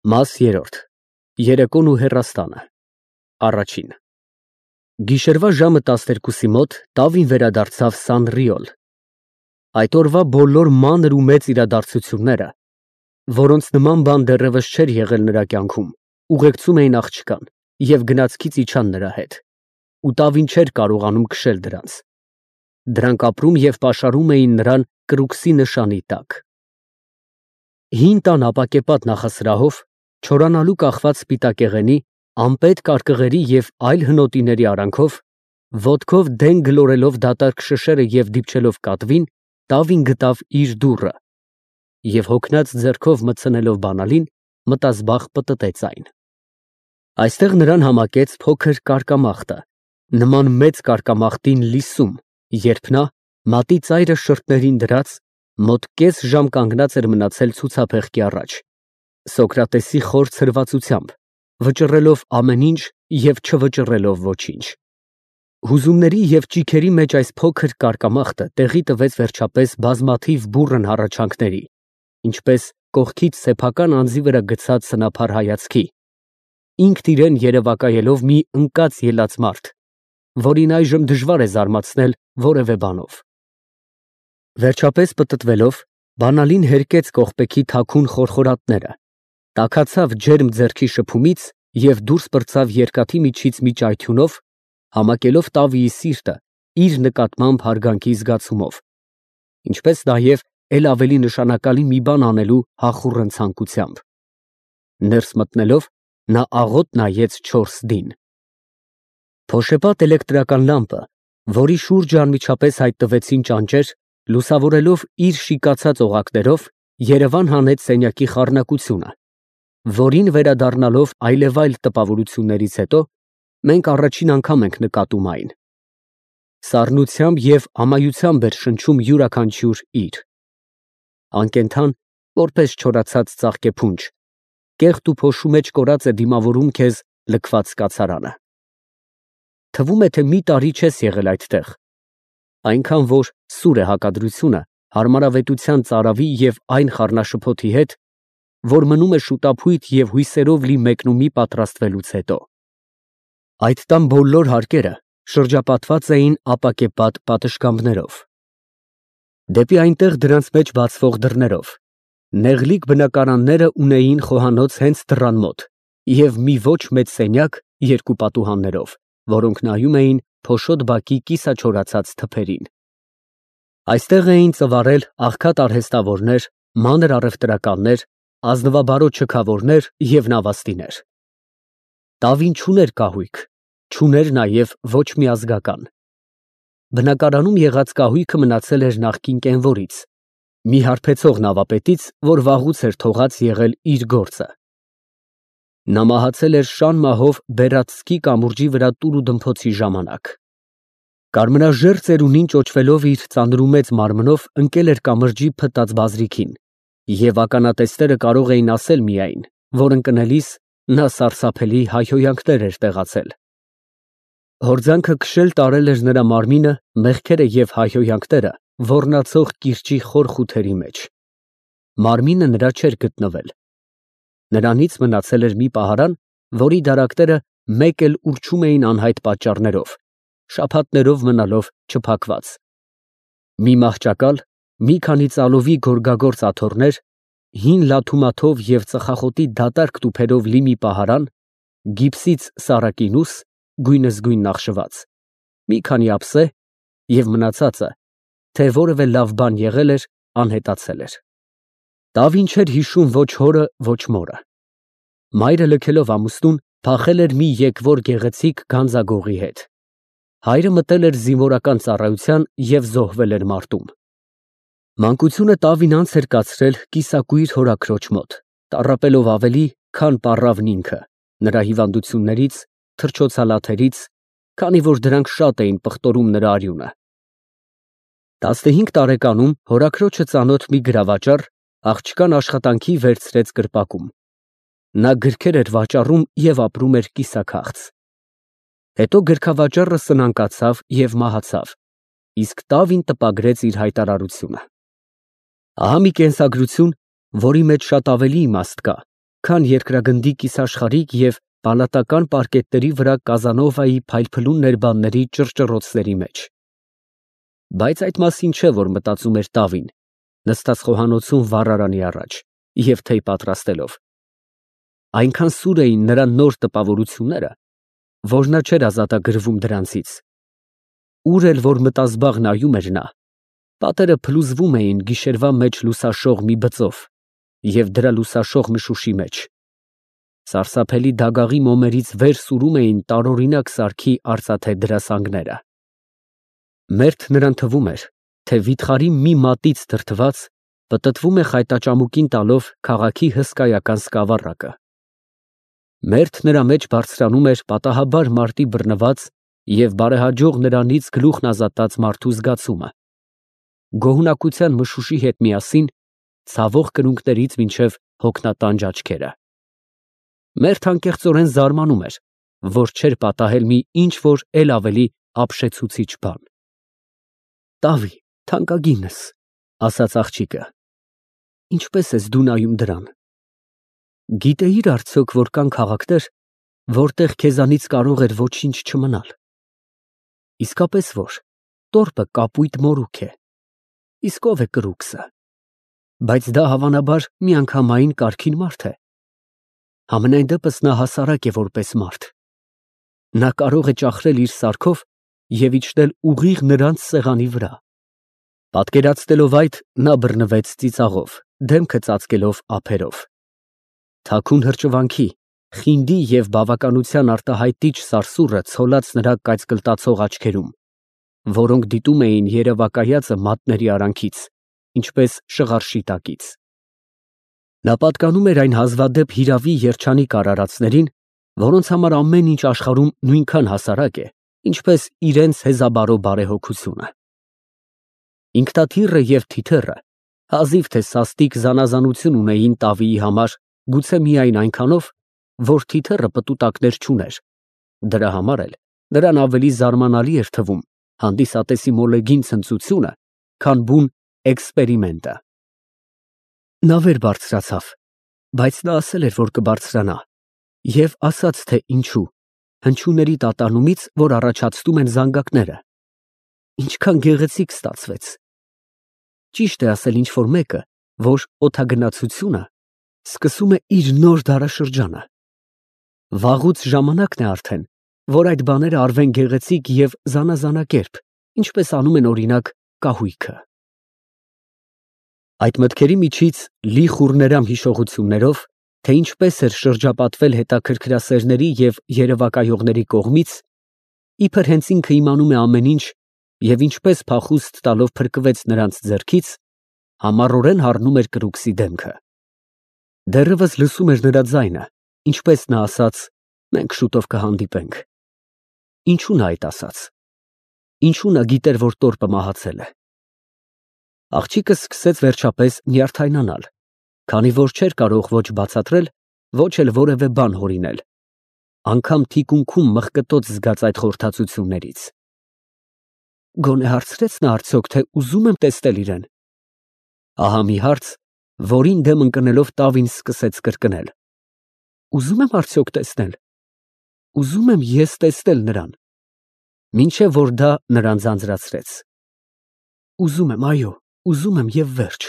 Մաս երրորդ. Երեկոն ու հեռաստանը Առաջին Գիշերվա ժամը 12-ի մոտ Տավին վերադարձավ Սանռիոլ։ Այդ օրվա բոլոր մանր ու մեծ իրադարձությունները, որոնց նման բան դեռևս չէր եղել նրա կյանքում, ուղեկցում էին աղջկան և գնացքից իջան նրա հետ, ու Տավին չէր կարողանում քշել դրանց։ Դրանք ապրում և պաշարում էին նրան կրուքսի նշանի տակ։ Հին տան ապակեպատ նախասրահով, չորանալու կախված սպիտակեղենի, անպետ կարկղերի և այլ հնոտիների արանքով, ոտքով դեն գլորելով դատարկ շշերը և դիպչելով կատվին, Տավին գտավ իր դուռը և հոգնած ձեռքով մտցնելով բանալին, մտազբաղ պտտեց այն։ Այստեղ նրան համակեց փոքր կարկամախտը, նման մեծ կարկամախտին լիսում, երբ նա, մատի ծայրը շրթներին դրած, մոտ կես ժամ կանգնած էր մնացել ցուցափեղկի առաջ, Սոկրատեսի խոր ցրվածությամբ, վճռելով ամեն ինչ և չվճռելով ոչինչ։ Հուզումների և ճիգերի մեջ այս փոքր կարկամախտը տեղի տվեց վերջապես բազմաթիվ բուռն հառաչանքների, ինչպես կողքից սեփական անձի վրա գցած սնափառ հայացքի, ինքն իրեն երևակայելով մի ընկած ելած մարդ, որին այժմ դժվար է զարմացնել որևէ բանով։ Վերջապես պտտվելով, բանալին հերկեց կողպեքի թաքուն խորխորատները, տաքացավ ջերմ ձեռքի շփումից և դուրս պրծավ երկաթի միջից մի ճայթյունով, համակելով Տավիի սիրտը իր նկատմամբ հարգանքի զգացումով, ինչպես նաև էլ ավելի նշանակալի մի բան անելու հախուռն ցանկությամբ։ Ներս մտնելով, նա աղոտ նայեց 4 դին։ Փոշեպատ էլեկտրական լամպը, որի շուրջը անմիջապես հայտնվեցին ճանճեր, լուսավորելով իր շիկացած օղակներով, երևան հանեց սենյակի խառնակությունը, որին վերադառնալով այլևայլ տպավորություններից հետո, մենք առաջին անգամ ենք նկատում այն։ Սառնությամբ և ամայությամբ էր շնչում յուրաքանչյուր իր։ Անկենդան, որպես չորացած ծաղկեփունջ, կեղտ ու փոշու մեջ կորած է դիմավորում քեզ լքված կացարանը։ Թվում է, թե մի տարի չես եղել այդտեղ, այնքան որ սուր է հակադրությունը հարմարավետության ծարավի և այն խառնաշփոթի հետ, որ մնում է շուտափույթ և հույսերով լի մեկնումի պատրաստվելուց հետո։ Այդ տան բոլոր հարկերը շրջապատված էին ապակեպատ պատշգամբներով։ Դեպի այնտեղ դրանց մեջ բացվող դռներով, նեղլիկ բնակարանները ունեին խոհանոց հենց դռան մոտ և մի ոչ մեծ սենյակ երկու պատուհաններով, որոնք նայում էին փոշոտ բակի կիսաչորացած թփերին։ Այստեղ էին ծվարել աղքատ արհեստավորներ, մանր առևտրականներ, ազնվաբարոտ շքավորներ և նավաստիներ։ Տավին չուներ կահույք, չուներ նաև ոչ մի ազգական։ Բնակարանում եղած կահույքը մնացել էր նախկին կենվորից, մի հարբեցող նավապետից, որ վաղուց էր թողած եղել իր գործը։ Նա մահացել էր շան մահով Բերատսկի կամուրջի վրա տուրուդմփոցի ժամանակ։ Կարմրաժեռ ծերունին ճոճվելով իր ծանրումեծ մարմնով ընկել էր կամրջի փտած բազրիքին, և ականատեսները կարող էին ասել միայն, որ ընկնելիս նա սարսափելի հայհոյանքներ էր տեղացել։ Հորձանքը քշել տարել էր նրա մարմինը, մեղքերը և հայհոյանքները ոռնացող կիրճի խոր խութերի մեջ։ Մարմինը նրա չէր գտնվել։ Նրանից մնացել էր մի պահարան, որի դարակները մեկ էլ ուռչում էին անհայտ պատճառներով, շաբաթներով մնալով չփակված։ Մի մահճակալ, մի քանի ծալովի գորգագործ աթոռներ, հին լաթումաթով և ծխախոտի դատարկ տուփերով լի մի պահարան, գիպսից սառակինուս, գույնզգույն նախշված, մի քանի ափսե և մնացածը, թե որևէ լավ բան եղել էր, անհետացել էր։ Տավին չէր հիշում ոչ հորը, ոչ մորը։ Մայրը լքելով ամուսնուն, փախել էր մի եկվոր գեղեցիկ գանձագողի հետ։ Հայրը մտել էր զինվորական ծառայության և զոհվել էր մարտում։ Մանկությունը Տավին անց էր կացրել կիսակույր հորաքրոջ մոտ, տառապելով ավելի, քան պառավն ինքը, նրա հիվանդություններից, թռչոցալաթերից, քանի որ դրանք շատ էին պղտորում նրա արյունը։ 15 տարեկանում հորաքրոջը ծանոթ մի գրավաճառ աղջկան աշխատանքի վերցրեց կրպակում։ Նա գրքեր էր վաճառում և ապրում էր կիսաքաղց։ Հետո գրքավաճառը սնանկացավ և մահացավ, իսկ Տավին տպագրեց իր հայտարարությունը։ Ահա մի կենսագրություն, որի մեջ շատ ավելի իմաստ կա, քան երկրագնդի կիսաշխարհիկ և պալատական պարկետների վրա Կազանովայի փայլփլուն ներբանների ճռճռոցների մեջ։ Բայց այդ մասին չէ, որ մտածում էր Տավին, նստած խոհանոցում վառարանի առաջ և թեյ պատրաստելով։ Այնքան սուր էին նրա նոր տպավորությունները, որ նա չէր ազատագրվում դրանցից։ Ուր էլ որ մտազբաղ նայում էր նա, պատերը փլուզվում էին գիշերվա մեջ լուսաշող մի բծով և դրա լուսաշող մշուշի մեջ։ Սարսափելի դագաղի մոմերից վեր սուրում էին տարօրինակ սարքի արծաթե դրասանգները։ Մերթ նրան թվում էր, թե վիթխարի մի մատից դրդված պտտվում է խայտաճամուկին տալով քաղաքի հսկայական սկավառակը։ Մերթ նրա մեջ բարձրանում էր պատահաբար մարտի բռնված և բարեհաջող նրանից գլուխն ազատած մարդու զգացումը, գոհունակության մշուշի հետ միասին ցավող կրունկներից մինչև հոգնատանջ աչքերը։ Մերթ անկեղծորեն զարմանում էր, որ չէր պատահել մի ինչ֊որ էլ ավելի ապշեցուցիչ բան։ «Տավի, թանկագինս», ֊ ասաց աղջիկը, ֊ ինչպե՞ս ես դու նայում դրան։ Գիտեի՞ր արդյոք, որ կան քաղաքներ, որտեղ քեզանից կարող էր ոչինչ չմնալ։ Իսկապես որ, տորպը կապույտ մորուք է, իսկ ով է կրուքսը։ Բայց դա հավանաբար միանգամայն կարգին մարդ է։ Համենայն դեպս նա հասարակ է որպես մարդ։ Նա կարող է ճախրել իր սարքով և իջնել ուղիղ նրանց սեղանի վրա։ Պատկերացնելով այդ, նա բռնվեց ծիծաղով, դեմքը ծածկելով ափերով։ Թաքուն հրճվանքի, խինդի և բավականության արտահայտիչ սարսուռը ցոլած նրա կայծկլտացող աչքերում, որոնք դիտում էին երևակայածը մատների արանքից, ինչպես շղարշի տակից։ Նա պատկանում էր այն հազվադեպ հիրավի երջանիկ արարածներին, որոնց համար ամեն ինչ աշխարհում նույնքան հասարակ է, ինչպես իրենց հեզաբարո բարեհոգությունը։ Ինքնաթիռը և թիթեռը հազիվ թե սաստիկ զանազանություն ունեին Տավիի համար, գուցե միայն այնքանով, որ թիթեռը պտուտակներ չուներ, դրա համար էլ նրան ավելի զարմանալի էր թվում հանդիսատեսի մոլեգին ցնծությունը, քան բուն էքսպերիմենտը։ Նա վեր բարձրացավ, բայց նա ասել էր, որ կբարձրանա, և ասաց, թե ինչու, հնչյունների տատանումից, որ առաջացնում են զանգակները։ Ինչքան գեղեցիկ ստացվեց։ Ճիշտ է ասել ինչ֊որ մեկը, որ օդագնացությունը սկսում է իր նոր դարաշրջանը։ Վաղուց ժամանակն է արդեն, որ այդ բաները արվեն գեղեցիկ և զանազանակերպ, ինչպես անում են, օրինակ, կահույքը։ Այդ մտքերի միջից լի խուռներամ հիշողություններով, թե ինչպես էր շրջապատվել հետաքրքրասերների և երևակայողների կողմից, իբր հենց ինքը իմանում է ամեն ինչ և ինչպես փախուստ տալով փրկվեց նրանց ձեռքից, համառորեն հառնում էր կրուքսի դեմքը։ Դեռևս լսում էր նրա ձայնը, ինչպես նա ասաց. «Մենք շուտով կհանդիպենք»։ Ինչու նա այդ ասաց։ Ինչու նա գիտեր, որ տորպը մահացել է։ Աղջիկը սկսեց վերջապես նյարդայնանալ, քանի որ չէր կարող ոչ բացատրել, ոչ էլ որևէ բան հորինել, անգամ թիկունքում մղկտոց զգաց այդ խորհրդածություններից։ Գոնե հարցրեց նա արդյոք, թե ուզում եմ տեսնել իրեն։ Ահա մի հարց, որին դեմ ընկնելով Տավին սկսեց կրկնել։ Ուզում եմ արդյոք տեսնել։ Ուզում եմ ես տեսնել նրան։ Մինչև որ դա նրան ձանձրացրեց։ Ուզում եմ, այո, ուզում եմ և վերջ։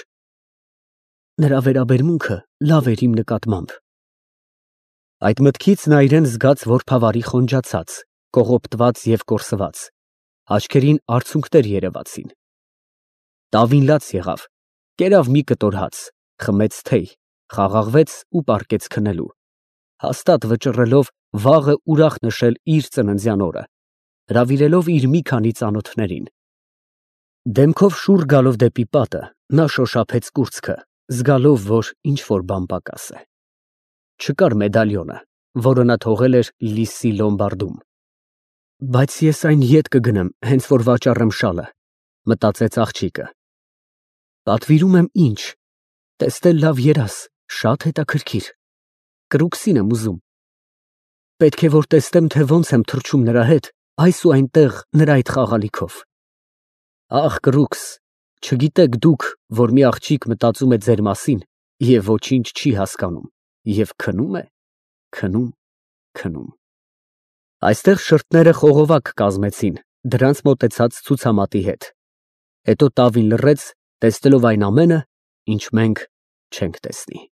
Նրա վերաբերմունքը լավ էր իմ նկատմամբ։ Այդ մտքից նա իրեն զգաց որբավարի խոնջացած, կողոպտված և կորսված, աչքերին արցունքներ երևացին։ Տավին լաց եղավ, կերավ մի կտոր հաց, խմեց թեյ, խաղաղվեց ու պառկեց քնելու, հաստատ վճռելով վաղը ուրախ նշել իր ծննդյան օրը, հրավիրելով իր մի քանի ծանոթներին։ Դեմքով շուռ գալով դեպի պատը, նա շոշափեց կուրծքը, զգալով, որ ինչ֊որ բան պակաս է։ Չկար մեդալյոնը, որը նա թողել էր Լիսսի լոմբարդում։ Բայց ես այն ետ կգնեմ, հենց որ վաճառեմ շալը, մտածեց աղջիկը։ Պատվիրում եմ ինչ, տեսնել լավ երազ, շատ հետաքրքիր։ Կրուքսին եմ ուզում։ Պետք է որ տեսնեմ, թե ոնց եմ թռչում նրա հետ այս ու այնտեղ նրա այդ խաղալիքով։ Ախ, կրուքս, չգիտեք դուք, որ մի աղջիկ մտածում է ձեր մասին և ոչինչ չի հասկանում։ Եվ քնում է, քնում, քնում։ Այստեղ շրթները խողովակ կազմեցին, դրանց մոտեցած ցուցամատի հետ, հետո տավին լռեց, տեսնելով այն ամենը, ինչ մենք չենք տեսնի։